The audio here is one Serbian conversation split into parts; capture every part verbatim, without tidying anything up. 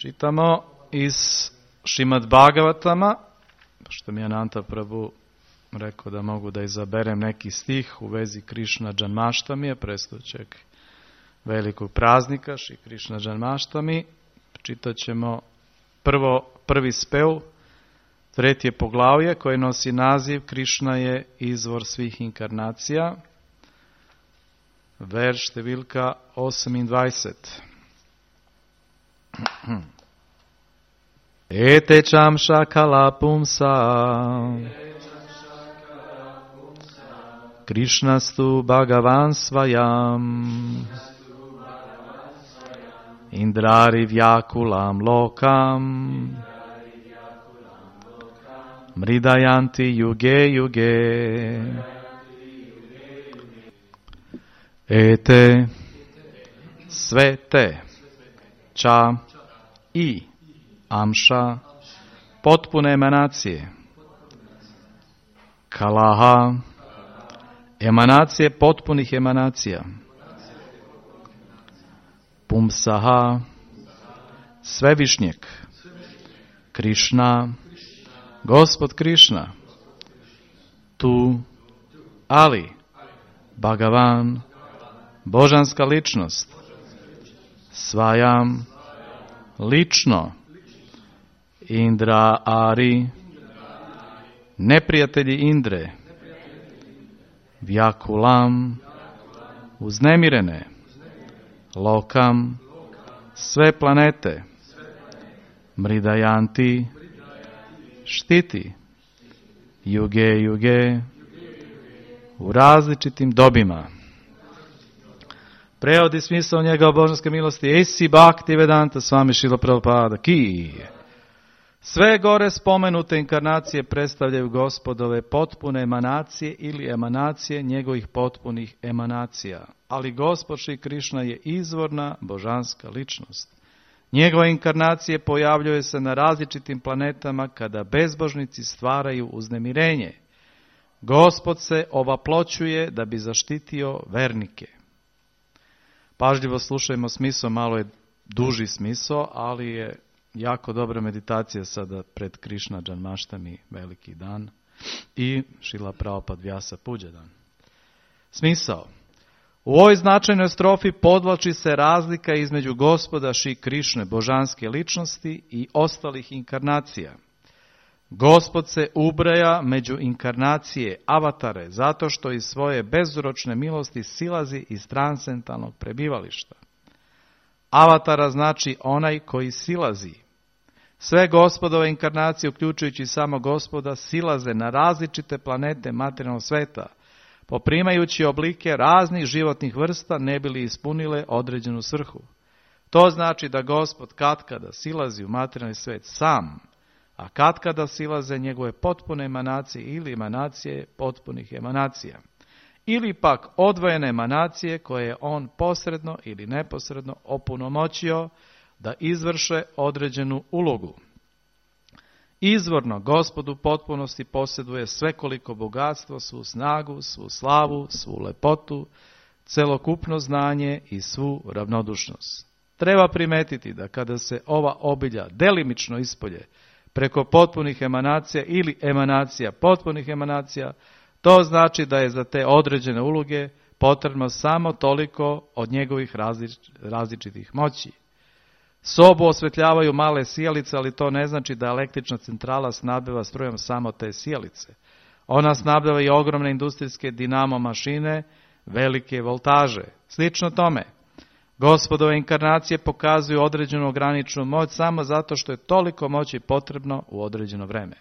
Čitamo iz Šrimad Bhagavatama, što mi je Ananta Prabhu rekao da mogu da izaberem neki stih u vezi Krišna Džanmaštamije, predstojećeg velikog praznika, Šri Krišna Džanmaštami. Čitat ćemo prvo, prvi spev, treće poglavlje koje nosi naziv Krišna je izvor svih inkarnacija, verš številka osemindvajset. Ete čamša kala pumsa Krišnastu Bhagavan svajam Indrari vyakulam lokam Mridayanti yuge yuge Ete sve te ča i amša potpune emanacije kalaha emanacije potpunih emanacija pumsaha svevišnjeg Krišna Gospod Krišna tu ali Bhagavan božanska ličnost svajam lično Indra Ari neprijatelji Indre Vyakulam uznemirene Lokam sve planete Mridayanti štiti Juge Juge u različitim dobima. Prevod i smisao njegove božanske milosti Esi Bhakti Vedanta Swami Srila Prabhupada Ki. Sve gore spomenute inkarnacije predstavljaju Gospodove potpune emanacije ili emanacije njegovih potpunih emanacija. Ali Gospod Šri Krišna je izvorna božanska ličnost. Njegove inkarnacije pojavljuje se na različitim planetama kada bezbožnici stvaraju uznemirenje. Gospod se ovaploćuje da bi zaštitio vernike. Pažljivo slušajmo smisao, malo je duži smisao, ali je jako dobra meditacija sada pred Krišna Džanmaštami, veliki dan, i Šrila Prabhupada Vyasa Puđa dan. Smisao. U ovoj značajnoj strofi podvlači se razlika između Gospoda Šri Krišne, božanske ličnosti, i ostalih inkarnacija. Gospod se ubraja među inkarnacije, avatare, zato što iz svoje bezročne milosti silazi iz transcendentalnog prebivališta. Avatara znači onaj koji silazi. Sve Gospodove inkarnacije, uključujući samo Gospoda, silaze na različite planete materijalnog sveta, poprimajući oblike raznih životnih vrsta ne bi li ispunile određenu svrhu. To znači da Gospod katkada silazi u materijalni svet sam, a katkada silaze njegove potpune emanacije ili emanacije potpunih emanacija. Ili pak odvojene emanacije koje je on posredno ili neposredno opunomoćio da izvrše određenu ulogu. Izvorno Gospod u potpunosti posjeduje svekoliko bogatstvo, svu snagu, svu slavu, svu lepotu, celokupno znanje i svu ravnodušnost. Treba primetiti da kada se ova obilja delimično ispolje preko potpunih emanacija ili emanacija potpunih emanacija, to znači da je za te određene uloge potrebno samo toliko od njegovih različ- različitih moći. Sobu osvetljavaju male sijalice, ali to ne znači da električna centrala snabdeva strujom samo te sijalice. Ona snabdeva i ogromne industrijske dinamo mašine, velike voltaže. Slično tome, Gospodove inkarnacije pokazuju određenu ograničenu moć samo zato što je toliko moći potrebno u određeno vreme.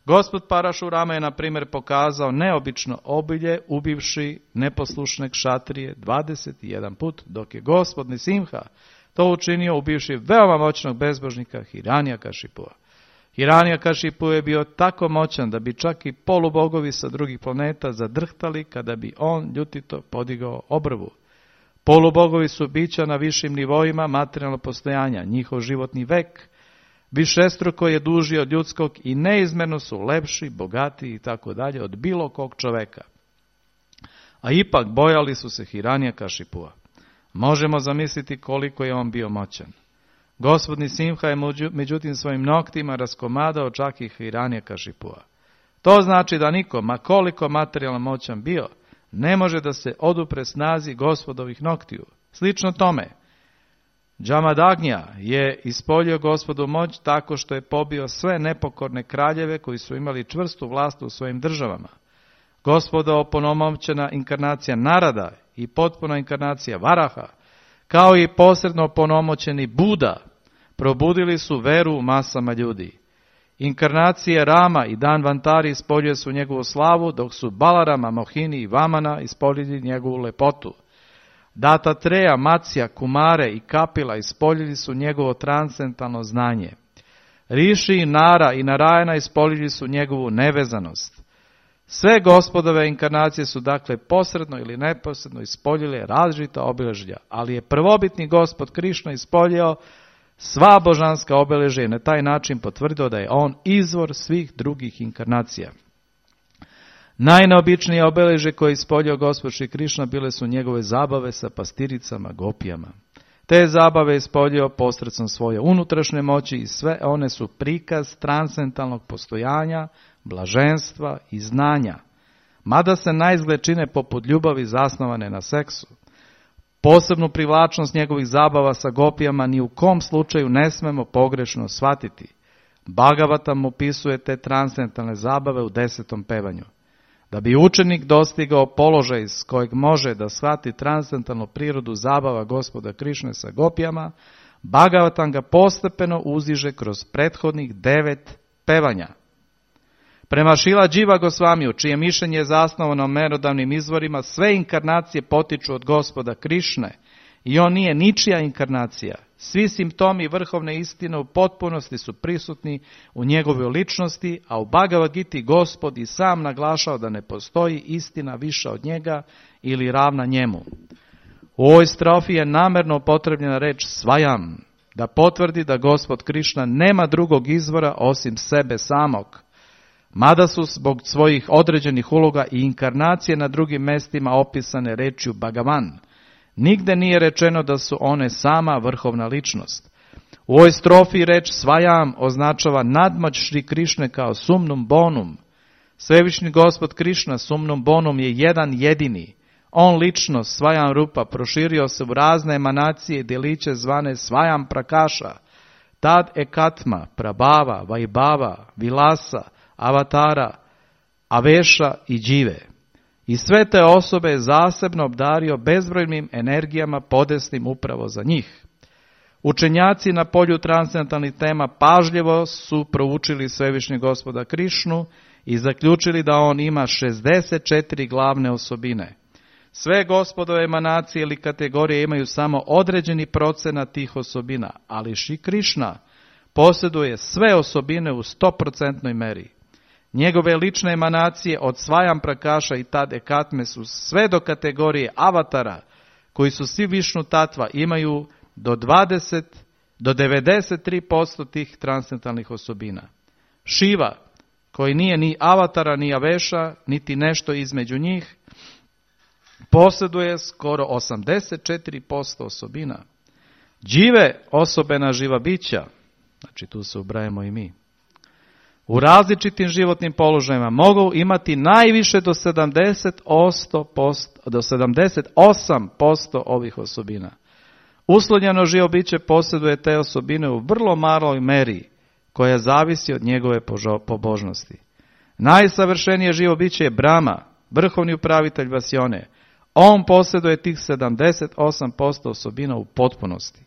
Gospod Parašurama je, na primjer, pokazao neobično obilje ubivši neposlušne kšatrije dvadeset jedan put, dok je Gospod Nisimha to učinio ubivši veoma moćnog bezbožnika Hiranyakashipua. Hiranyakashipu je bio tako moćan da bi čak i polubogovi sa drugih planeta zadrhtali kada bi on ljutito podigao obrvu. Polubogovi su bića na višim nivoima materijalnog postojanja. Njihov životni vek višestruko je duži od ljudskog i neizmjerno su lepši, bogatiji i tako dalje od bilo kog čoveka. A ipak bojali su se Hiranyakashipua. Možemo zamisliti koliko je on bio moćan. Gospodni Simha je međutim svojim noktima raskomadao čak i Hiranyakashipua. To znači da niko, ma koliko materijalno moćan bio, ne može da se odupre snazi Gospodovih noktiju. Slično tome, Džamadagnja je ispolio Gospodu moć tako što je pobio sve nepokorne kraljeve koji su imali čvrstu vlast u svojim državama. Gospoda oponomoćena inkarnacija Narada i potpuna inkarnacija Varaha, kao i posredno oponomoćeni Buda, probudili su veru u masama ljudi. Inkarnacije Rama i Danvantari ispoljuje su njegovu slavu, dok su Balarama, Mohini i Vamana ispoljili njegovu lepotu. Datatreja, Matsja, Kumare i Kapila ispoljili su njegovo transcendentalno znanje. Riši, Nara i Narajana ispoljili su njegovu nevezanost. Sve Gospodove inkarnacije su dakle posredno ili neposredno ispoljile različita obilježja, ali je prvobitni Gospod Krišna ispoljio sva božanska obilježja i na taj način potvrdio da je on izvor svih drugih inkarnacija. Najneobičnije obilježje koje je ispoljio Gospod Šri Krišna bile su njegove zabave sa pastiricama, gopijama. Te zabave je ispoljio posredstvom svoje unutrašnje moći i sve one su prikaz transcendentalnog postojanja, blaženstva i znanja, mada se naizgled čine poput ljubavi zasnovane na seksu. Posebnu privlačnost njegovih zabava sa gopijama ni u kom slučaju ne smemo pogrešno shvatiti. Bhagavatam opisuje te transcendentalne zabave u desetom pevanju. Da bi učenik dostigao položaj s kojeg može da shvati transcendentalnu prirodu zabava Gospoda Krišne sa gopijama, Bhagavatam ga postepeno uziže kroz prethodnih devet pevanja. Prema Šila Dživa Gosvamiju, čije mišljenje je zasnovano na merodavnim izvorima, sve inkarnacije potiču od Gospoda Krišne i on nije ničija inkarnacija. Svi simptomi vrhovne istine u potpunosti su prisutni u njegovoj ličnosti, a u Bhagavad Giti Gospod i sam naglašao da ne postoji istina viša od njega ili ravna njemu. U ovoj strofi je namerno upotrebljena reč svajam, da potvrdi da Gospod Krišna nema drugog izvora osim sebe samog. Mada su zbog svojih određenih uloga i inkarnacije na drugim mestima opisane rečju Bhagavan, nigde nije rečeno da su one sama vrhovna ličnost. U ovoj strofi reč svajam označava nadmoć Šri Krišne kao sumnum bonum. Svevišnji Gospod Krišna sumnum bonum je jedan jedini. On lično, svajam rupa, proširio se u razne emanacije i djeliće zvane svajam prakaša, tad ekatma, prabhava, vajbava, vilasa, avatara, aveša i džive. I sve te osobe je zasebno obdario bezbrojnim energijama podesnim upravo za njih. Učenjaci na polju transcendentalnih tema pažljivo su proučili Svevišnjeg Gospoda Krišnu i zaključili da on ima šezdeset četiri glavne osobine. Sve Gospodove emanacije ili kategorije imaju samo određeni procenat tih osobina, ali Šri Krišna posjeduje sve osobine u stoprocentnoj meri. Njegove lične emanacije od svajam prakaša i tad ekatme su sve do kategorije avatara, koji su svi Višnu tatva, imaju do dvadeset do devedeset tri posto tih transcendentalnih osobina. Šiva, koji nije ni avatara ni aveša, niti nešto između njih, posjeduje skoro osamdeset četiri posto osobina. Džive, osobena živa bića, znači tu se ubrajamo i mi, u različitim životnim položajima mogu imati najviše do sedamdeset osam posto ovih osobina. Uslonjeno živo biće posjeduje te osobine u vrlo maloj meri, koja zavisi od njegove pobožnosti. Najsavršenije živo biće je Brahma, vrhovni upravitelj Vasjone. On posjeduje tih sedamdeset osam posto osobina u potpunosti.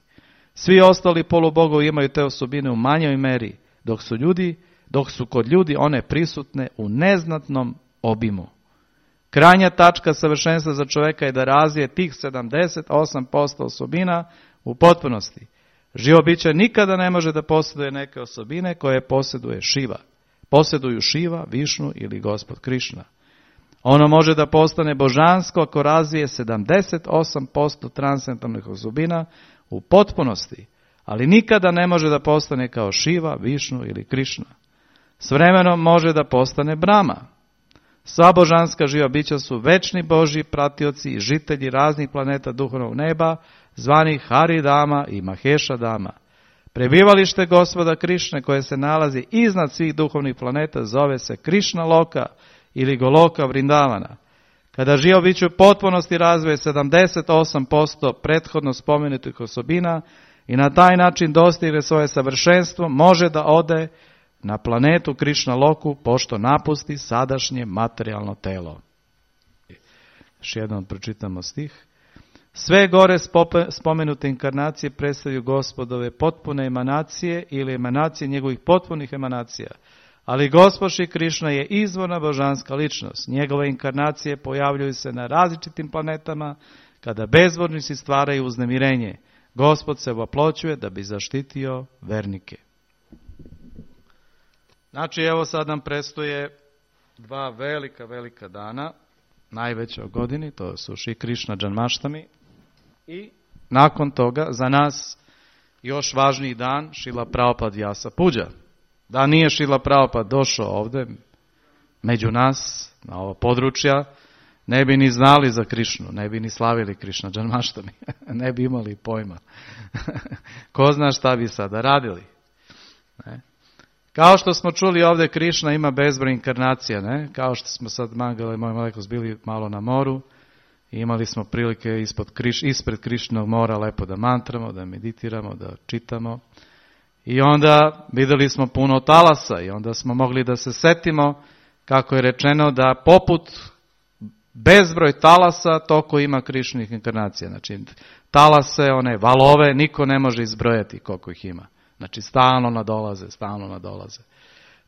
Svi ostali polubogovi imaju te osobine u manjoj meri, dok su ljudi dok su kod ljudi one prisutne u neznatnom obimu. Krajnja tačka savršenstva za čovjeka je da razvije tih sedamdeset osam posto osobina u potpunosti. Živo biće nikada ne može da posjeduje neke osobine koje posjeduje Šiva. Posjeduju Šiva, Višnu ili Gospod Krišna. Ono može da postane božansko ako razvije sedamdeset osam posto transcendentalnih osobina u potpunosti, ali nikada ne može da postane kao Šiva, Višnu ili Krišna. S vremenom može da postane Brahma. Sva božanska živa bića su večni Božji pratioci i žitelji raznih planeta duhovnog neba, zvanih Haridama i Mahešadama. Prebivalište Gospoda Krišne koje se nalazi iznad svih duhovnih planeta zove se Krišna Loka ili Goloka Vrindavana. Kada živo biće u potpunosti razvoje sedamdeset osam posto prethodno spomenutih osobina i na taj način dostigne svoje savršenstvo, može da ode na planetu Krišna Loku pošto napusti sadašnje materijalno telo. Još jednom pročitamo stih. Sve gore spomenute inkarnacije predstavljaju Gospodove potpune emanacije ili emanacije njegovih potpunih emanacija. Ali Gospod Šri Krišna je izvorna božanska ličnost. Njegove inkarnacije pojavljuju se na različitim planetama kada bezvornici stvaraju uznemirenje. Gospod se voploćuje da bi zaštitio vernike. Znači, evo sad nam predstoje dva velika, velika dana, najveća u godini, to su Šri Krišna Džanmaštami i nakon toga za nas još važniji dan Šrila Prabhupada Vyasa Puđa. Da nije Šrila Prabhupada došao ovdje među nas, na ovo područja, ne bi ni znali za Krišnu, ne bi ni slavili Krišna Džanmaštami, ne bi imali pojma. Ko zna šta bi sada radili. Ne? Kao što smo čuli ovdje, Krišna ima bezbroj inkarnacija, ne? Kao što smo sad Mangala i moj Malekos bili malo na moru, i imali smo prilike ispod kriš, ispred Krišnog mora lepo da mantramo, da meditiramo, da čitamo. I onda vidjeli smo puno talasa i onda smo mogli da se setimo kako je rečeno da poput bezbroj talasa toliko ima Krišnih inkarnacija. Znači talase, one valove, niko ne može izbrojati koliko ih ima. Znači stalno nadolaze, stalno nadolaze.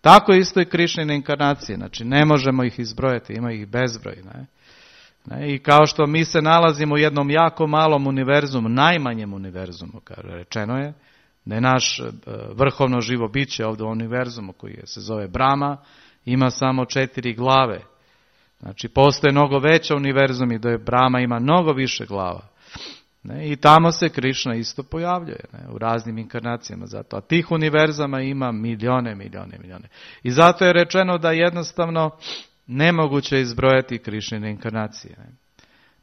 Tako isto i Krišnine inkarnacije, znači ne možemo ih izbrojati, ima ih bezbroj. Ne? Ne? I kao što mi se nalazimo u jednom jako malom univerzumu, najmanjem univerzumu, kao rečeno je, da je naš vrhovno živo biće ovdje u univerzumu koji se zove Brahma, ima samo četiri glave. Znači postoje mnogo veća univerzum i da je Brahma ima mnogo više glava. Ne? I tamo se Krišna isto pojavljuje, ne? U raznim inkarnacijama zato. A tih univerzama ima milijone, milijone, milijone. I zato je rečeno da jednostavno nemoguće izbrojati Krišnine inkarnacije. Ne?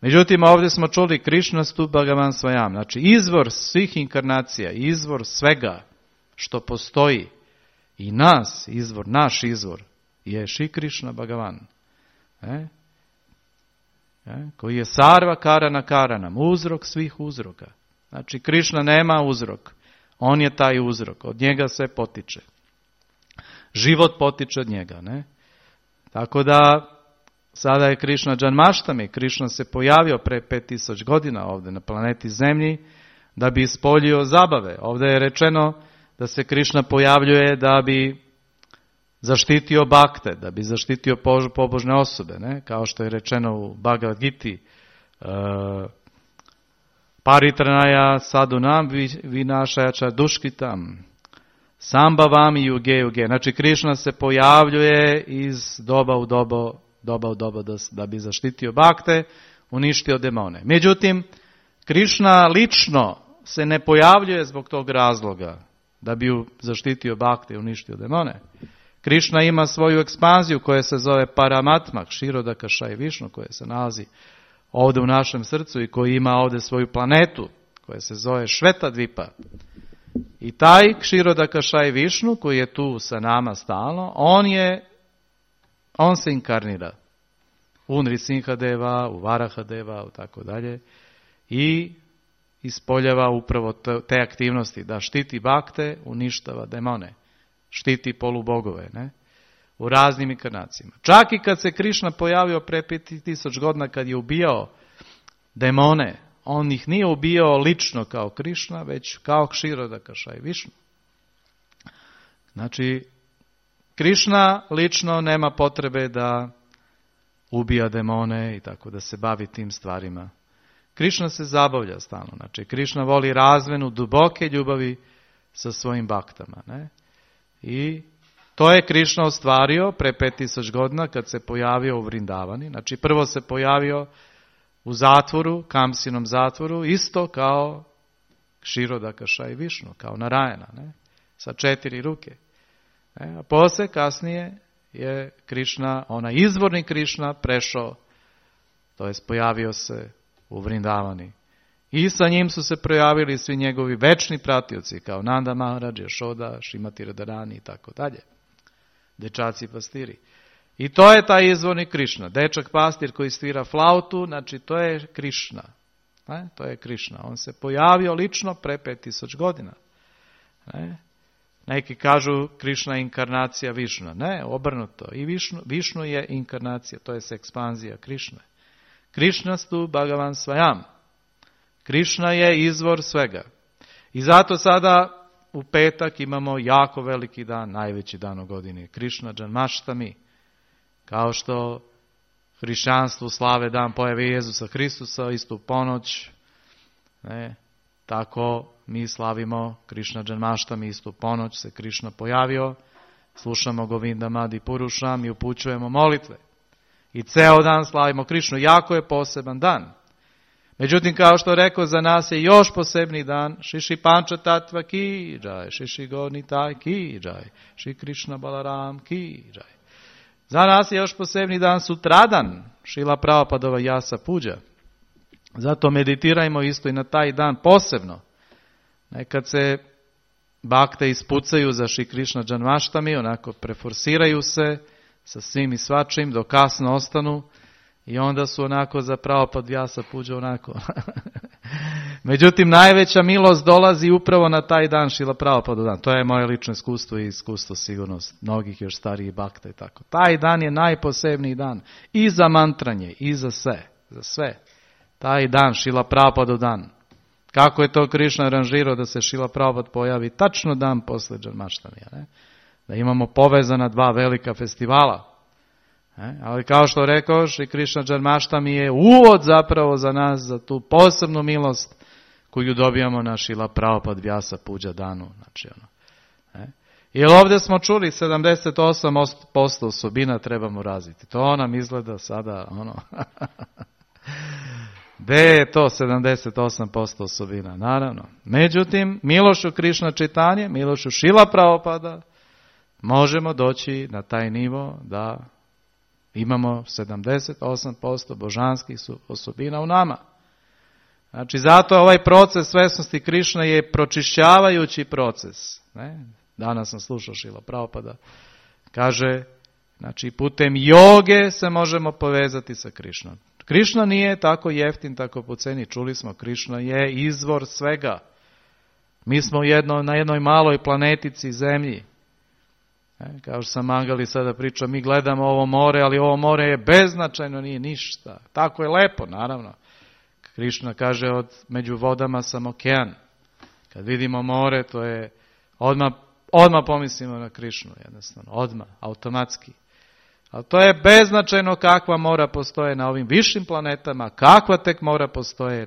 Međutim, ovdje smo čuli Krišna Stup Bhagavan Svayam, znači izvor svih inkarnacija, izvor svega što postoji i nas, izvor, naš izvor je Šri Krišna Bhagavan. Ne? Ne? Koji je Sarva Karana Karanam, uzrok svih uzroka. Znači, Krišna nema uzrok, on je taj uzrok, od njega sve potiče. Život potiče od njega, ne? Tako da, sada je Krišna Džanmaštami, Krišna se pojavio pre pet tisuća godina ovdje na planeti Zemlji, da bi ispoljio zabave. Ovdje je rečeno da se Krišna pojavljuje da bi zaštitio bakte, da bi zaštitio pobožne osobe, ne? Kao što je rečeno u Bhagavad Giti, uh, Paritranaya sadunam vinašajača duškitam, sambhavam i yuge yuge. Znači Krišna se pojavljuje iz doba u doba, doba u doba da, da bi zaštitio bakte, uništio demone. Međutim, Krišna lično se ne pojavljuje zbog tog razloga da bi zaštitio bakte i uništio demone. Krišna ima svoju ekspanziju koja se zove Paramatma, Kshirodakashayi Višnu, koja se nalazi ovdje u našem srcu i koji ima ovdje svoju planetu koja se zove Švetadvipa. I taj Kshirodakashayi Višnu koji je tu sa nama stalno, on je, on se inkarnira u Nrisinhadeva, u Varahadeva, u tako dalje i ispoljava upravo te aktivnosti da štiti bakte, uništava demone. Štiti polubogove, ne? U raznim inkarnacijama. Čak i kad se Krišna pojavio pre pet tisuća godina kad je ubijao demone, on ih nije ubijao lično kao Krišna, već kao Kshirodakashayi Višnu. Znači, Krišna lično nema potrebe da ubija demone i tako da se bavi tim stvarima. Krišna se zabavlja stalno. Znači, Krišna voli razmenu duboke ljubavi sa svojim baktama, ne? I to je Krišna ostvario pre pet tisuća godina kad se pojavio u Vrindavani. Znači prvo se pojavio u zatvoru, Kamsinom zatvoru, isto kao Kshirodakashayi Višnu, kao Narayana, ne? Sa četiri ruke. Ne? A poslije, kasnije, je Krišna, onaj izvorni Krišna, prešao, to jest pojavio se u Vrindavani. I sa njim su se projavili svi njegovi večni pratioci, kao Nanda Maharaj, Yashoda, Šrimati Radharani i tako dalje. Dečaci pastiri. I to je taj izvorni Krišna. Dečak pastir koji svira flautu, znači to je Krišna. Ne? To je Krišna. On se pojavio lično pre pet tisuća godina. Ne? Neki kažu Krišna je inkarnacija Višnu. Ne, obrnuto. I Višnu, Višnu je inkarnacija, to je ekspanzija Krišne. Krišnastu Bhagavan Svayam. Krišna je izvor svega. I zato sada u petak imamo jako veliki dan, najveći dan u godini. Krišna Džanmaštami. Kao što hrišćanstvu slave dan pojave Jezusa Hristusa, istu ponoć. Ne, tako mi slavimo Krišna Džanmaštami, istu ponoć se Krišna pojavio. Slušamo Govindam Adi Purušam i upućujemo molitve. I ceo dan slavimo Krišnu. Jako je poseban dan. Međutim, kao što rekao, za nas je još posebni dan. Šiši Panča Tatva ki džaj, Šiši Gornitaj ki džaj, Šri Krišna Balaram ki džaj. Za nas je još posebni dan sutradan, Šila Prabhupadova Jasa Puđa. Zato meditirajmo isto i na taj dan posebno. Nekad se bakte ispucaju za Šri Krišna Džanmaštami, onako preforsiraju se sa svim i svačim, do kasno ostanu i onda su onako za Prabhupada Jasa Puđa onako. Međutim, najveća milost dolazi upravo na taj dan Šila Prabhupada dan. To je moje lično iskustvo i iskustvo sigurno mnogih još starijih bakta i tako. Taj dan je najposebniji dan i za mantranje, i za sve. Za sve. Taj dan, Šila Prabhupada dan. Kako je to Krišna aranžirao da se Šila Prabhupada pojavi tačno dan posle Džanmaštamija, ne? Da imamo povezana dva velika festivala. Ne? Ali kao što rekao, Šri Krišna Džanmaštami je uvod zapravo za nas, za tu posebnu milost koju dobijamo na Šila Prabhupada Vyasa Puđa danu. Znači, ono, ne? Jer ovdje smo čuli sedamdeset osam posto osobina trebamo razviti. To nam izgleda sada ono... Gde je to sedamdeset osam posto osobina? Naravno. Međutim, milošću Krišna Čitanje, milošću Šila Prabhupada, možemo doći na taj nivo da imamo sedamdeset osam posto božanskih osobina u nama. Znači, zato ovaj proces svesnosti Krišne je pročišćavajući proces. Ne? Danas sam slušao Šila Prabhupada. Kaže, znači, putem joge se možemo povezati sa Krišnom. Krišna nije tako jeftin, tako po ceni. Čuli smo, Krišna je izvor svega. Mi smo jedno, na jednoj maloj planetici zemlji. E, kao što sam Mangali sada pričao, mi gledamo ovo more, ali ovo more je beznačajno, nije ništa. Tako je lepo, naravno. Krišna kaže, od među vodama sam okean. Kad vidimo more, to je odmah, odmah pomislimo na Krišnu, jednostavno, odmah, automatski. Ali to je beznačajno kakva mora postoje na ovim višim planetama, kakva tek mora postoje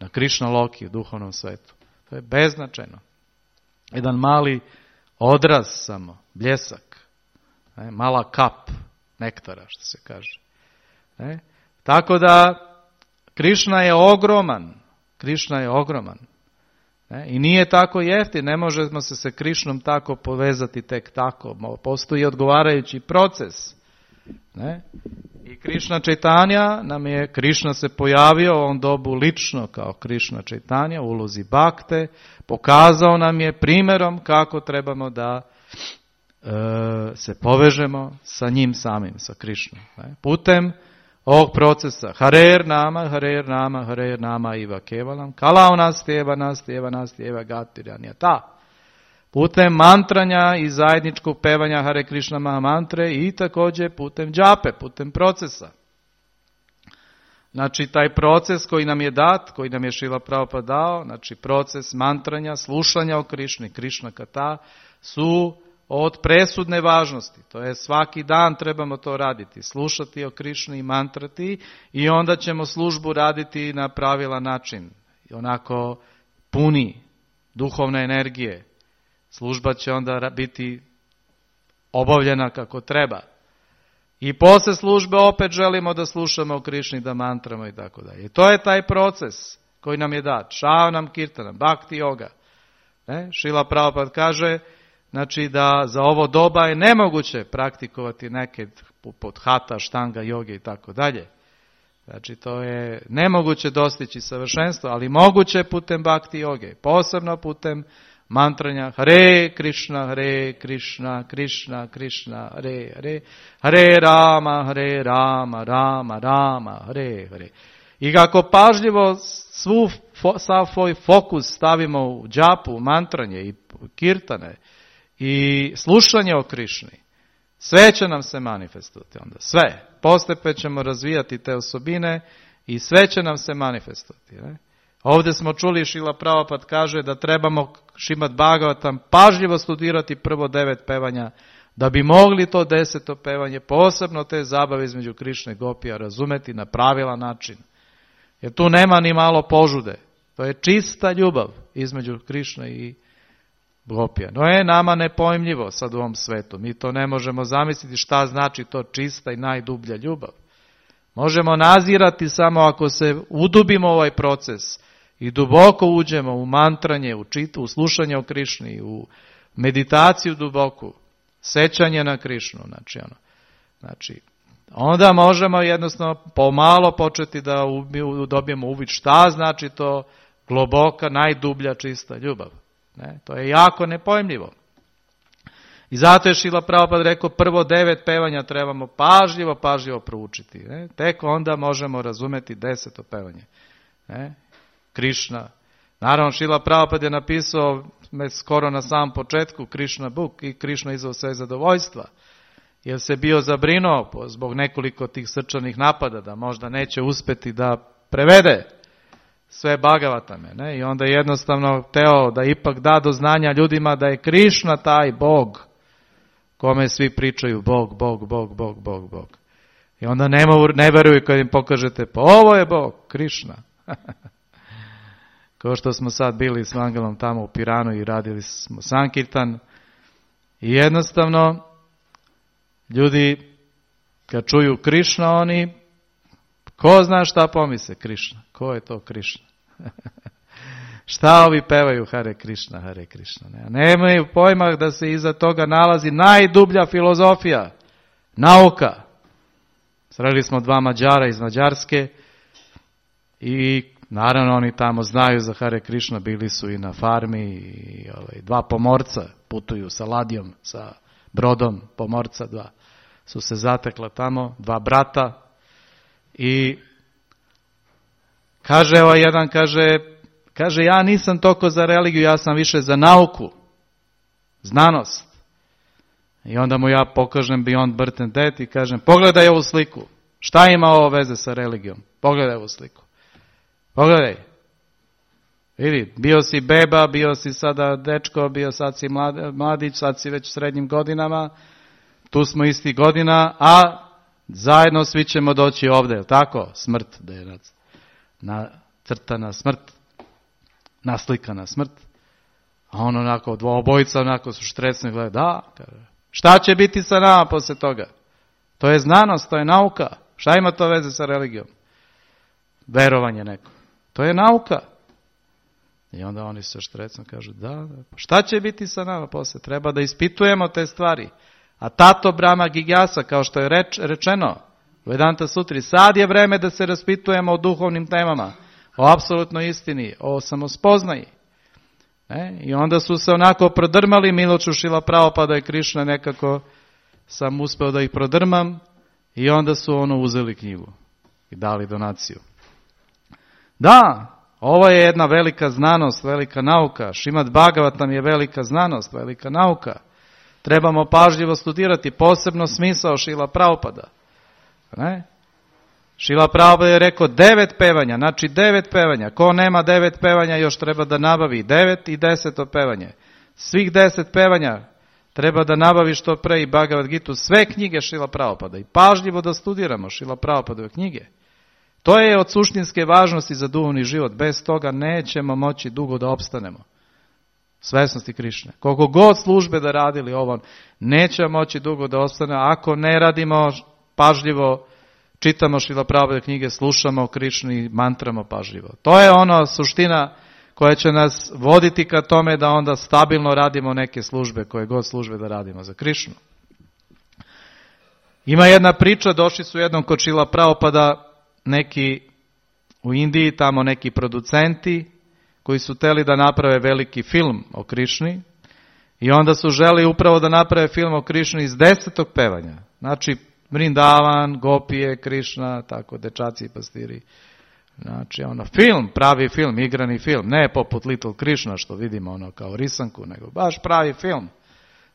na Krišna Loki, u duhovnom svetu. To je beznačajno. Jedan mali odraz samo, bljesak, ne, mala kap nektara, što se kaže. Ne. Tako da Krišna je ogroman, Krišna je ogroman. Ne. I nije tako jeftin, ne možemo se sa Krišnom tako povezati tek tako. Postoji odgovarajući proces. Ne? I Krišna Čaitanja nam je, Krišna se pojavio u ovom dobu lično kao Krišna Čaitanja u ulozi bakte, pokazao nam je primjerom kako trebamo da e, se povežemo sa njim samim, sa Krišnom. Ne? Putem ovog procesa Harer nama, Harer nama, Harer nama iva kevalam, kalao nas tjeva nas, tjeva nas tjeva gatiranja ta. Putem mantranja i zajedničkog pevanja Hare Krishna Mahamantre i također putem džape, putem procesa. Znači taj proces koji nam je dat, koji nam je Šrila Prabhupada dao, znači proces mantranja, slušanja o Krišni, Krišna Kata, su od presudne važnosti. To je svaki dan trebamo to raditi, slušati o Krišni i mantrati i onda ćemo službu raditi na pravilan način, onako puni duhovne energije. Služba će onda biti obavljena kako treba. I posle službe opet želimo da slušamo o Krišni, da mantramo i tako dalje. I to je taj proces koji nam je dat. Šavanam kirtanam, bhakti yoga. Ne? Šrila Prabhupada kaže, znači da za ovo doba je nemoguće praktikovati neke poput hata, štanga, joge i tako dalje. Znači, to je nemoguće dostići savršenstvo, ali moguće putem bhakti joge, posebno putem mantranja Hare Krishna, Hare Krishna, Krishna, Krishna, Hare Hare, Hare Rama, Hare Rama, Rama, Rama, Hare Hare. I kako pažljivo svu, sav svoj fokus stavimo u džapu, u mantranje i kirtane i slušanje o Krišni, sve će nam se manifestovati onda, sve. Postepeno ćemo razvijati te osobine i sve će nam se manifestovati. Ne? Ovdje smo čuli, Šrila Prabhupada kaže da trebamo Šrimad Bhagavatam pažljivo studirati prvo devet pevanja, da bi mogli to deseto pevanje, posebno te zabave između Krišne i Gopija, razumeti na pravilan način. Jer tu nema ni malo požude. To je čista ljubav između Krišne i Gopija. No je nama nepojmljivo sad u ovom svetu. Mi to ne možemo zamisliti šta znači to čista i najdublja ljubav. Možemo nazirati samo ako se udubimo u ovaj proces i duboko uđemo u mantranje, u, čit, u slušanje o Krišni, u meditaciju duboku, sećanje na Krišnu. Znači, ono, znači, onda možemo jednostavno pomalo početi da dobijemo uvid šta znači to globoka, najdublja, čista ljubav. Ne? To je jako nepojmljivo. I zato je Šrila Prabhupada rekao, prvo devet pevanja trebamo pažljivo, pažljivo proučiti. Ne? Tek onda možemo razumeti deseto pevanje. Ne? Krišna. Naravno, Šrila Prabhupada je napisao skoro na samom početku Krišna Book i Krišna izveo sve zadovoljstva. Jer se bio zabrinuo zbog nekoliko tih srčanih napada da možda neće uspjeti da prevede sve Bhagavatame. Ne? I onda jednostavno teo da ipak da do znanja ljudima da je Krišna taj Bog kome svi pričaju Bog, Bog, Bog, Bog, Bog, Bog. I onda ne, ne veruju kad im pokažete, pa ovo je Bog, Krišna. Kao što smo sad bili s Mangalom tamo u Piranu i radili smo Sankirtan. I jednostavno ljudi kad čuju Krišna, oni ko zna šta pomisle Krišna? Ko je to Krišna? Šta ovi pevaju Hare Krišna, Hare Krišna? Ne? Nemaju pojma da se iza toga nalazi najdublja filozofija, nauka. Sreli smo dva Mađara iz Mađarske i naravno oni tamo znaju za Hare Krišna, bili su i na farmi i ovaj, dva pomorca putuju sa ladjom, sa brodom, pomorca dva su se zatekla tamo, dva brata i kaže ovaj jedan, kaže, kaže ja nisam toliko za religiju, ja sam više za nauku, znanost. I onda mu ja pokažem Beyond Birth and Death i kažem, pogledaj ovu sliku, šta ima ovo veze sa religijom? Pogledaj ovu sliku. Pogledaj. Vidi, bio si beba, bio si sada dečko, bio sad si mladić, sad si već u srednjim godinama, tu smo isti godina, a zajedno svi ćemo doći ovdje, je tako? Smrt, da je nacrtana smrt, naslikana smrt. A on onako, dvobojica onako su štrecni, gleda, da, kaže, šta će biti sa nama poslije toga? To je znanost, to je nauka. Šta ima to veze sa religijom? Verovanje neko. To je nauka. I onda oni se štrecno kažu, da, da, šta će biti sa nama poslije? Treba da ispitujemo te stvari. A tato Brahma Gigyasa, kao što je reč, rečeno u Vedanta Sutri, sad je vreme da se raspitujemo o duhovnim temama, o apsolutnoj istini, o samospoznaji. E? I onda su se onako prodrmali, milošću Šrila Prabhupada i Krišna, nekako sam uspeo da ih prodrmam i onda su ono uzeli knjigu i dali donaciju. Da, ovo je jedna velika znanost, velika nauka. Šrimad Bhagavatam je velika znanost, velika nauka. Trebamo pažljivo studirati, posebno smisao Šrila Prabhupada. Ne? Šrila Prabhupada je rekao devet pevanja, znači devet pevanja. Ko nema devet pevanja još treba da nabavi devet i deseto pevanje. Svih deset pevanja treba da nabavi što pre i Bhagavad Gitu, sve knjige Šrila Prabhupada i pažljivo da studiramo Šrila Prabhupadove knjige. To je od suštinske važnosti za duhovni život. Bez toga nećemo moći dugo da opstanemo. Svesnosti Krišne. Koliko god službe da radili ovo, nećemo moći dugo da opstanemo ako ne radimo pažljivo, čitamo Šrila Prabhupada knjige, slušamo o Krišni, mantramo pažljivo. To je ono suština koja će nas voditi ka tome da onda stabilno radimo neke službe, koje god službe da radimo za Krišnu. Ima jedna priča, došli su jednom kod Šrila Prabhupada neki u Indiji, tamo neki producenti koji su hteli da naprave veliki film o Krišni i onda su želi upravo da naprave film o Krišni iz desetog pevanja. Znači, Vrindavan, Gopije, Krišna, tako, dečaci i pastiri. Znači, ono, film, pravi film, igrani film, ne poput Little Krishna što vidimo ono kao risanku, nego baš pravi film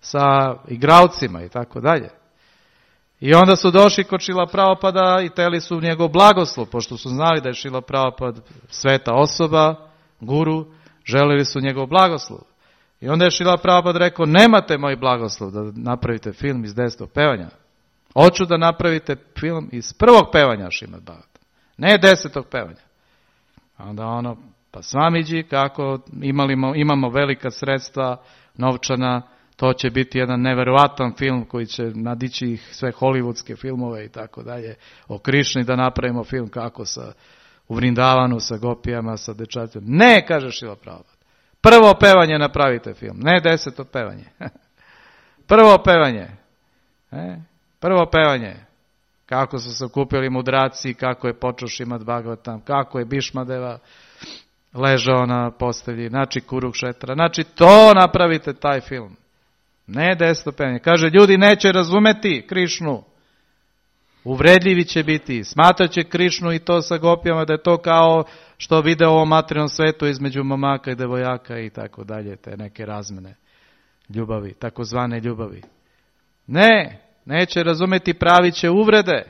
sa igralcima i tako dalje. I onda su došli kod Šrila Prabhupada i teli su njegov blagoslov, pošto su znali da je Šrila Prabhupada sveta osoba, guru, želili su njegov blagoslov. I onda je Šrila Prabhupada rekao, nemate moj blagoslov da napravite film iz desetog pevanja. Hoću da napravite film iz prvog pevanja Šrimad Bhagavatam. Ne desetog pevanja. Onda ono, pa Swamiji, kako imamo, imamo velika sredstva, novčana, to će biti jedan neverovatan film koji će nadići ih sve hollywoodske filmove i tako dalje. O Krišni da napravimo film kako sa, u Vrindavanu, sa gopijama, sa dečacima. Ne, kaže Šrila Prabhupada. Prvo pevanje napravite film, ne deseto pevanje. Prvo pevanje. E? Prvo pevanje. Kako su se okupili mudraci, kako je počeo Šrimad Bhagavatam, kako je Bhišmadeva ležao na postelji, znači Kurukšetra. Znači to napravite taj film. Ne deseto pevanje. Kaže, ljudi neće razumeti Krišnu. Uvredljivi će biti. Smatrat će Krišnu i to sa gopijama da je to kao što vide u ovom materijalnom svetu između momaka i devojaka i tako dalje. Te neke razmene ljubavi, takozvane ljubavi. Ne. Neće razumjeti, pravit će uvrede.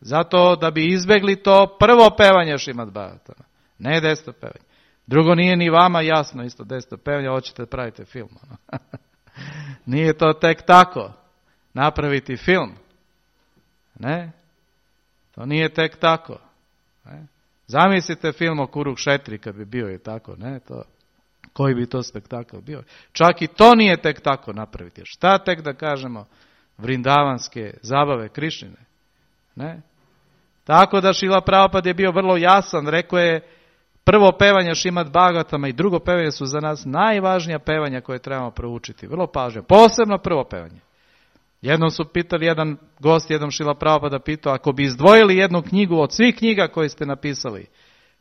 Zato da bi izbjegli to prvo pevanje Šrimad Bhagavatama. Ne deseto pevanje. Drugo, nije ni vama jasno isto deseto pevanje, hoćete da pravite film. Nije to tek tako. Napraviti film. Ne? To nije tek tako. Ne? Zamislite film o Kurukšetri kad bi bio i tako. Ne? To, koji bi to spektakl bio. Čak i to nije tek tako napraviti. Šta tek da kažemo vrindavanske zabave Krišnine. Ne? Tako da Šrila Prabhupada je bio vrlo jasan, rekao je prvo pevanje Šrimad Bhagavatama i drugo pevanje su za nas najvažnija pevanja koje trebamo proučiti. Vrlo pažnje. Posebno prvo pevanje. Jednom su pitali, jedan gost, jednom Šrila Prabhupada pitao, ako bi izdvojili jednu knjigu od svih knjiga koje ste napisali,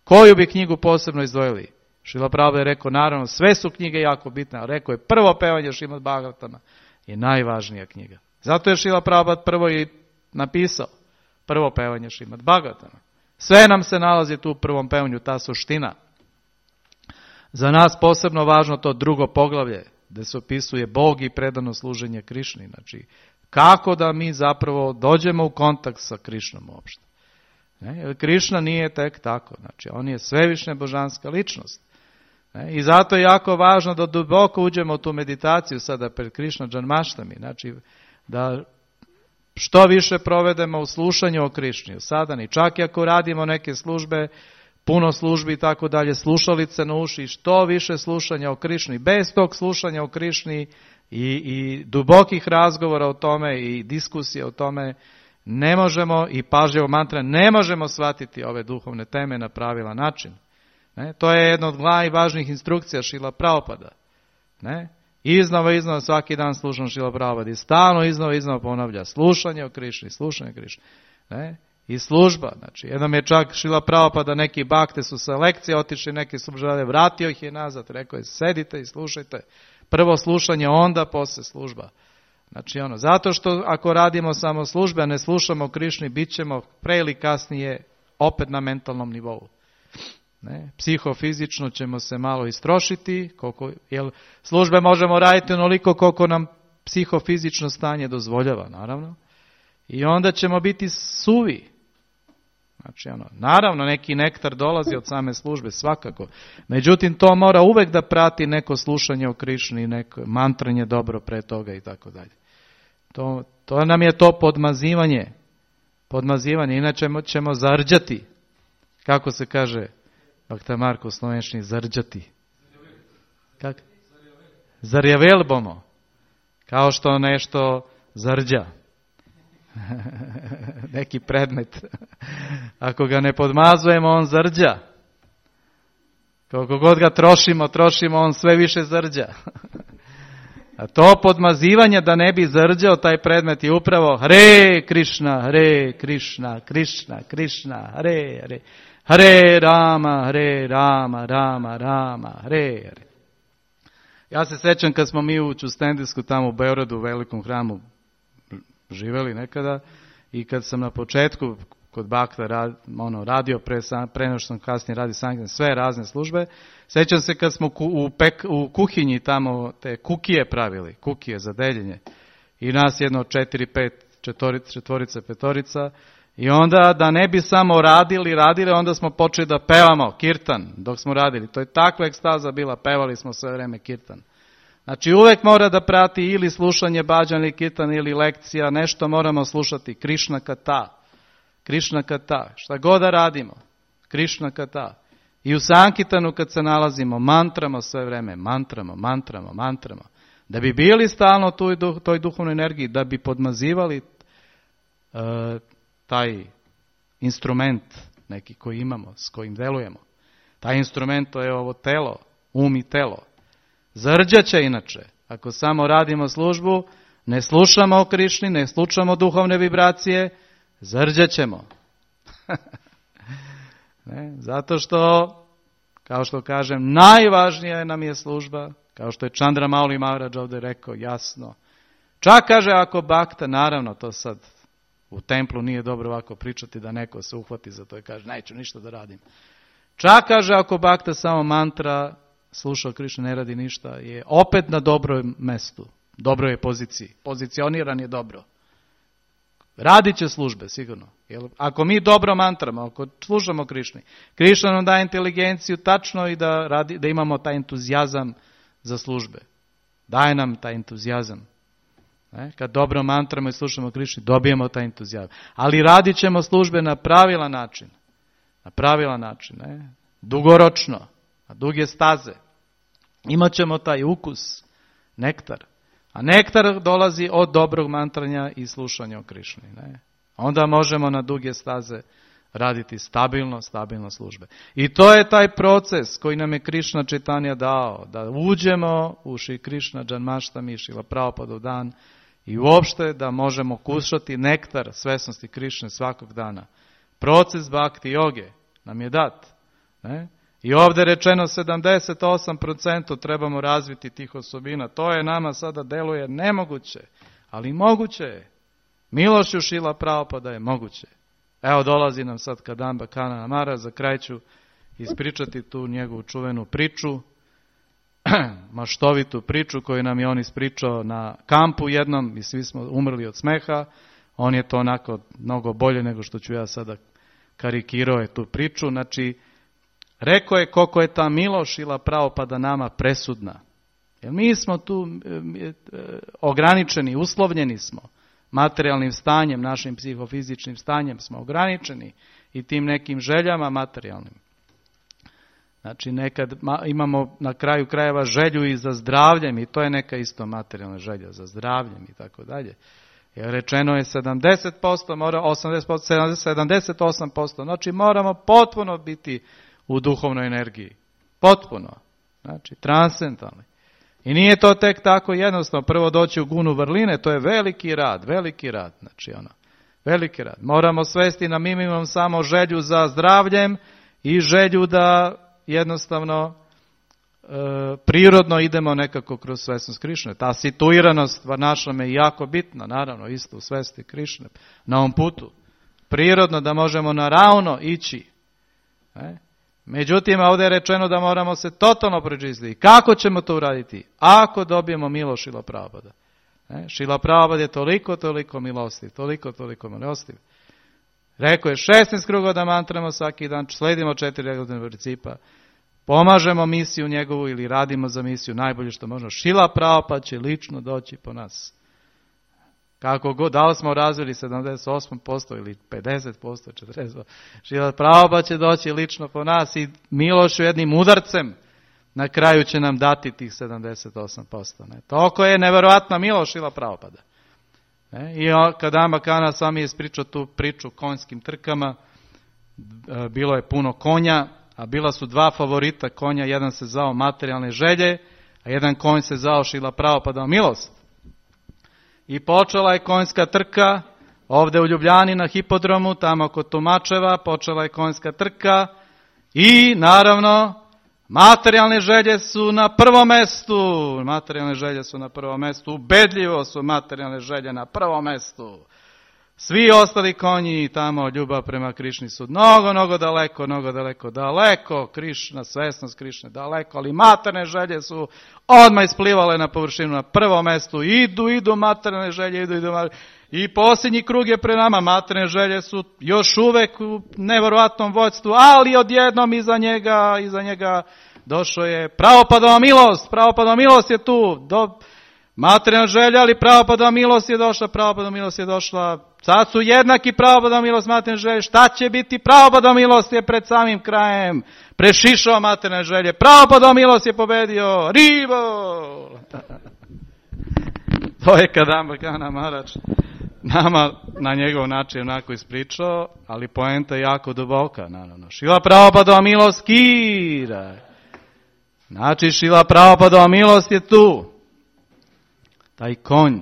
koju bi knjigu posebno izdvojili? Šrila Prabhupada je rekao, naravno, sve su knjige jako bitne, a rekao je prvo pevanje Šrimad Bhagavatama je najvažnija knjiga. Zato je Šrila Prabhupada prvo i napisao prvo pevanje Šrimad Bhagavatama. Sve nam se nalazi tu u prvom pevanju, ta suština. Za nas posebno važno to drugo poglavlje, gdje se opisuje Bog i predano služenje Krišni. Znači, kako da mi zapravo dođemo u kontakt sa Krišnom uopšte. Ne? Jer Krišna nije tek tako. Znači, on je svevišnja božanska ličnost. Ne? I zato je jako važno da duboko uđemo u tu meditaciju sada pred Krišna Džanmaštami. Znači, da što više provedemo u slušanju o Krišni, o sadani. Čak i ako radimo neke službe, puno službi i tako dalje, slušalice na uši, što više slušanja o Krišni. Bez tog slušanja o Krišni i, i dubokih razgovora o tome i diskusije o tome, ne možemo, i pažljivo mantra, ne možemo shvatiti ove duhovne teme na pravilan način. Ne? To je jedna od najvažnijih instrukcija Šrila Prabhupada. Ne? Iznova, iznova, svaki dan slušam Šrila Prabhupada i stalno iznova, iznova ponavlja slušanje o Krišni, slušanje o Krišni. Ne? I služba, znači, jednom je čak Šrila Prabhupada, neki bakte su sa lekcije otišli, neki su žele, vratio ih je nazad, rekao je, sedite i slušajte. Prvo slušanje, onda posle služba. Znači, ono, zato što ako radimo samo službe, a ne slušamo o Krišni, bit ćemo pre ili kasnije opet na mentalnom nivou. Ne? Psihofizično ćemo se malo istrošiti, koliko, jer službe možemo raditi onoliko koliko nam psihofizično stanje dozvoljava, naravno. I onda ćemo biti suvi. Znači, ono, naravno, neki nektar dolazi od same službe, svakako. Međutim, to mora uvek da prati neko slušanje o Krišni, neko mantranje dobro pre toga i tako dalje. To, to nam je to podmazivanje. Podmazivanje, inače ćemo zarđati. Kako se kaže, Bhakta Marko u slovenštini, zarđati. Kako? Zarjavel bomo. Kao što nešto zarđa. Neki predmet. Ako ga ne podmazujemo, on zarđa. Koliko god ga trošimo, trošimo, on sve više zarđa. A to podmazivanje da ne bi zrđao taj predmet je upravo Hare Krishna, Hare Krishna, Krishna, Krishna, Hare Hare, Hare Rama, Hare Rama, Rama, Rama, Hare Hare. Ja se sjećam kad smo mi u Čustendisku tamo u Beogradu u velikom hramu živjeli nekada i kad sam na početku kod Bakta rad, ono, radio pre, pre nego što sam kasnije radio sankcije, sve razne službe. Sjećam se kad smo ku, u, pek, u kuhinji tamo te kukije pravili, kukije za deljenje. I nas jedno četiri, pet, četvorica, četvorica, petorica. I onda da ne bi samo radili, radili, onda smo počeli da pevamo kirtan dok smo radili. To je takva ekstaza bila, pevali smo sve vreme kirtan. Znači uvek mora da prati ili slušanje bhajan ili kirtan ili lekcija, nešto moramo slušati, Krishna kata. Krishna kata, šta god da radimo, Krishna kata. I u Sankitanu kad se nalazimo, mantramo sve vreme, mantramo, mantramo, mantramo. Da bi bili stalno u toj, toj duhovnoj energiji, da bi podmazivali uh, taj instrument neki koji imamo, s kojim delujemo. Taj instrument to je ovo telo, um i telo. Zrđaće inače, ako samo radimo službu, ne slušamo o Krišni, ne slušamo duhovne vibracije, zrđaćemo. Ne, zato što, kao što kažem, najvažnija nam je služba, kao što je Chandra Mauli Maharaj ovdje rekao jasno. Čak kaže ako bakta, naravno to sad u templu nije dobro ovako pričati da neko se uhvati za to i kaže neću ništa da radim. Čak kaže ako bakta samo mantra, sluša Krišna, ne radi ništa, je opet na dobrom mestu, dobroj je poziciji, pozicioniran je dobro. Radit će službe, sigurno. Jer ako mi dobro mantramo, ako slušamo Krišni, Krišna nam daje inteligenciju tačno i da, radi, da imamo taj entuzijazam za službe. Daje nam taj entuzijazam. Ne? Kad dobro mantramo i slušamo Krišni, dobijemo taj entuzijazam. Ali radit ćemo službe na pravilan način. Na pravilan način. Ne? Dugoročno. Na duge staze. Imaćemo taj ukus, nektar. A nektar dolazi od dobrog mantranja i slušanja o Krišni. Ne? Onda možemo na duge staze raditi stabilno, stabilno službe. I to je taj proces koji nam je Krišna Čitanja dao. Da uđemo u Šri Krišna Džanmaštami, Šrila Prabhupada dan i uopšte da možemo kušati nektar svesnosti Krišne svakog dana. Proces bhakti joge nam je dat. Ne? I ovdje je rečeno sedamdeset osam posto trebamo razviti tih osobina. To je nama sada deluje nemoguće, ali moguće je. Milošću Šrila Prabhupada je moguće. Evo dolazi nam sad Kadamba Kanana Maharaj, za kraj ću ispričati tu njegovu čuvenu priču, maštovitu priču koju nam je on ispričao na kampu jednom i svi smo umrli od smeha. On je to onako mnogo bolje nego što ću ja sada karikirao je tu priču. Znači, rekao je koliko je ta milost Šrila Prabhupada nama presudna. Jer mi smo tu e, e, ograničeni, uslovljeni smo. Materijalnim stanjem, našim psihofizičnim stanjem smo ograničeni i tim nekim željama materijalnim. Znači nekad imamo na kraju krajeva želju i za zdravljem i to je neka isto materijalna želja za zdravljem i tako dalje. Jer rečeno je sedamdeset posto, mora osamdeset posto, sedamdeset osam posto. Znači moramo potpuno biti u duhovnoj energiji. Potpuno. Znači transcendentalni. I nije to tek tako jednostavno. Prvo doći u gunu vrline, to je veliki rad, veliki rad. Znači ono, veliki rad. Moramo svesti na minimum samo želju za zdravljem i želju da jednostavno e, prirodno idemo nekako kroz svesnost Krišne. Ta situiranost Varnašrama je jako bitna, naravno, isto u svesti Krišne, na ovom putu. Prirodno da možemo naravno ići. Ne? Međutim, ovdje je rečeno da moramo se totalno pročistiti. Kako ćemo to uraditi? Ako dobijemo milost Šrila Prabhupada. Šrila Prabhupada je toliko, toliko milostiv, toliko, toliko milostiv. Rekao je šesnaest kruga da mantramo svaki dan, sledimo četiri regularna principa, pomažemo misiju njegovu ili radimo za misiju najbolje što možemo. Šrila Prabhupada će lično doći po nas. Kako god, da li smo razvili sedamdeset osam posto ili pedeset posto, četrdeset posto, Šrila Prabhupada će doći lično po nas i milošću jednim udarcem na kraju će nam dati tih sedamdeset osam posto. Ne? Toliko je nevjerojatna milost Šrila Prabhupada. Ne? I Kadamba Kana sami je ispričao tu priču o konjskim trkama, bilo je puno konja, a bila su dva favorita konja, jedan se zvao materijalne želje, A jedan konj se zvao Šrila Prabhupada milost. I počela je konjska trka, ovdje u Ljubljani na hipodromu, tamo kod Tumačeva, počela je konjska trka i naravno materijalne želje su na prvom mestu. Materijalne želje su na prvom mestu, ubedljivo su materijalne želje na prvom mestu. Svi ostali konji tamo, ljubav prema Krišni su mnogo, mnogo daleko, mnogo daleko, daleko, Krišna, svesnost Krišne, daleko, ali materijalne želje su odmah isplivale na površinu na prvom mestu, idu, idu materijalne želje, idu, idu, i posljednji krug je pred nama, materijalne želje su još uvek u nevjerovatnom vođstvu, ali odjednom iza njega, iza njega došao je Prabhupadova milost, Prabhupadova milost je tu, do materijalna želja, ali Prabhupadova milost je došla, Prabhupadova milost je došla, sad su jednaki Prabhupadova milost, materijalne želje, šta će biti? Prabhupadova milost je pred samim krajem, prešišao materijalne želje, Prabhupadova milost je pobedio, Rivo! To je Kadamba Maharaj nama na njegov način onako ispričao, ali poenta je jako duboka, naravno. Šrila Prabhupadova milost kira. Znači, Šrila Prabhupadova milost je tu. Taj konj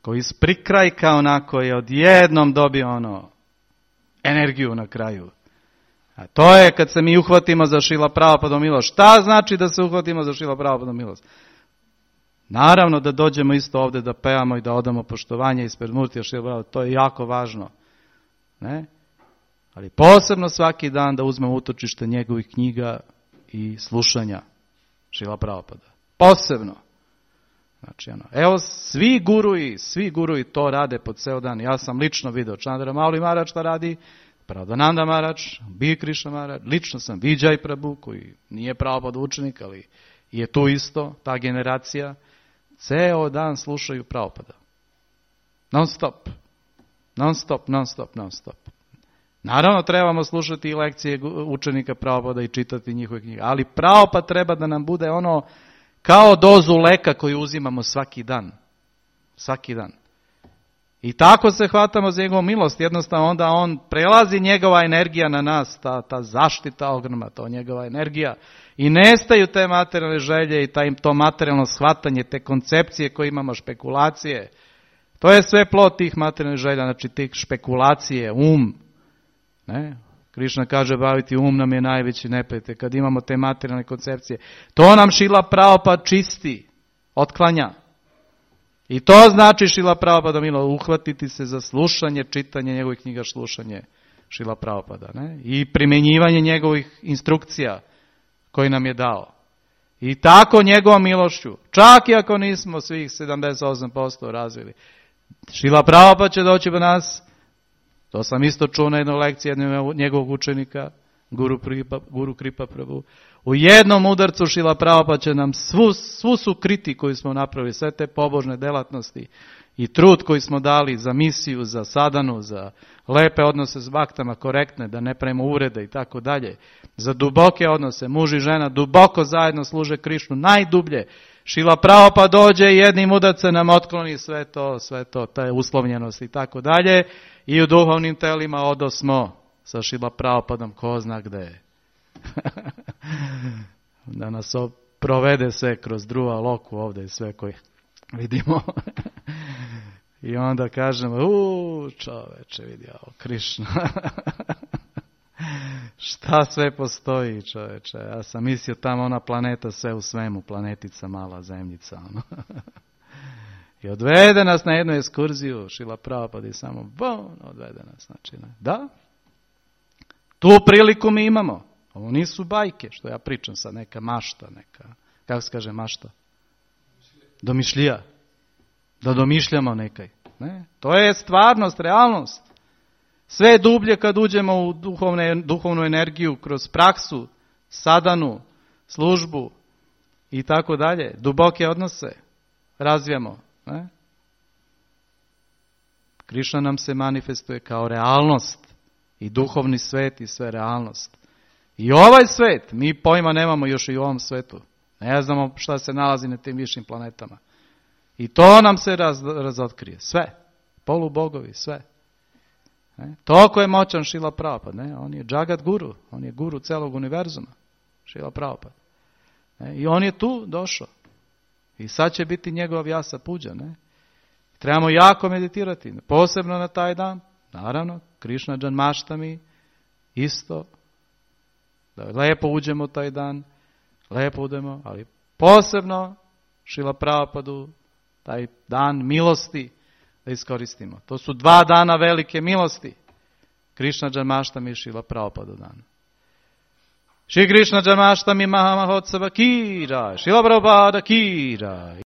koji iz prikrajka onako je odjednom dobio ono energiju na kraju. A to je kad se mi uhvatimo za Šrila Prabhupadovu milost. Šta znači da se uhvatimo za Šrila Prabhupadovu milost? Naravno da dođemo isto ovdje da pevamo i da odamo poštovanje ispred Murtija Šrila Prabhupada, to je jako važno. Ne? Ali posebno svaki dan da uzmemo utočište njegovih knjiga i slušanja Šrila Prabhupada. Posebno. Znači, ono, evo, svi guruji, svi guruji to rade po ceo dan. Ja sam lično vidio Chandra Mauli Maharaj šta radi, Prabhupada Maharaj, Bhikti Krishna Maharaj, lično sam Vijay Prabhu, koji nije Prabhupada učenik, ali je tu isto, ta generacija. Ceo dan slušaju Prabhupada. Non stop. Non stop, non stop, non stop. Naravno, trebamo slušati i lekcije učenika Prabhupada i čitati njihove knjige, ali Prabhupada treba da nam bude ono kao dozu leka koju uzimamo svaki dan. Svaki dan. I tako se hvatamo za njegovu milost. Jednostavno onda on prelazi njegova energija na nas, ta, ta zaštita ogromna, to njegova energija. I nestaju te materijalne želje i taj, to materijalno shvatanje, te koncepcije koje imamo, špekulacije. To je sve plod tih materijalnih želja, znači tih špekulacije, um. Ne? Krišna kaže, baviti um nam je najveći neprijatelj. Kad imamo te materijalne koncepcije, to nam Šrila Prabhupada čisti, otklanja. I to znači Šrila Prabhupada milo, uhvatiti se za slušanje, čitanje njegovih knjiga, slušanje Šrila Prabhupada. Ne? I primjenjivanje njegovih instrukcija koji nam je dao. I tako njegovom milošću, čak i ako nismo svih sedamdeset osam posto razvili, Šrila Prabhupada će doći po nas. To sam isto čuo na jednoj lekciji jednog njegovog učenika, Guru Kripa, Guru Kripa Prabhu. U jednom udarcu Šrila Prabhupada će nam svu, svu su kriti koju smo napravili, sve te pobožne delatnosti i trud koji smo dali za misiju, za sadanu, za lepe odnose s baktama, korektne, da ne pravimo uvrede i tako dalje, za duboke odnose, muž i žena duboko zajedno služe Krišnu, najdublje. Šrila Prabhupada dođe i jednim udarcem nam otkloni sve to, sve to, te uslovljenosti i tako dalje. I u duhovnim telima odosmo sa Šrila Prabhupadom, ko zna gde. Da nas provede sve kroz druga loku ovdje i sve koje vidimo. I onda kažemo, uuu čoveče vidi ovo, Krišna. Šta sve postoji čoveče. Ja sam mislio tamo ona planeta sve u svemu, planetica mala zemljica. Ono. I odvede nas na jednu ekskurziju, Šrila Prabhupada i samo bon, odvede nas. Znači, ne. Da, tu priliku mi imamo. Ovo nisu bajke, što ja pričam sad, neka mašta, neka, kako se kaže mašta? Domišljija. Da domišljamo nekaj. Ne? To je stvarnost, realnost. Sve dublje kad uđemo u duhovne, duhovnu energiju, kroz praksu, sadanu, službu i tako dalje, duboke odnose razvijamo. Ne? Krišna nam se manifestuje kao realnost i duhovni svet i sve realnost. I ovaj svet, mi pojma nemamo još i u ovom svetu. Ne znamo šta se nalazi na tim višim planetama. I to nam se raz, razotkrije. Sve. Polubogovi, sve. Ne? Toliko je moćan Šrila Prabhupada. Ne? On je Jagat Guru. On je guru celog univerzuma. Šrila Prabhupada. Ne? I on je tu došao. I sad će biti njegov jasa puđa. Ne? Trebamo jako meditirati. Posebno na taj dan. Naravno, Krišna Džanmaštami isto. Da lepo uđemo taj dan. Lepo udemo. Ali posebno Šrila Prabhupadu taj dan milosti da iskoristimo. To su dva dana velike milosti. Krišna Džanmaštami i Šrila Prabhupada dan. Šri Krišna Džanmaštami Mahamahotsava ki jai, Šrila Prabhupada ki jai.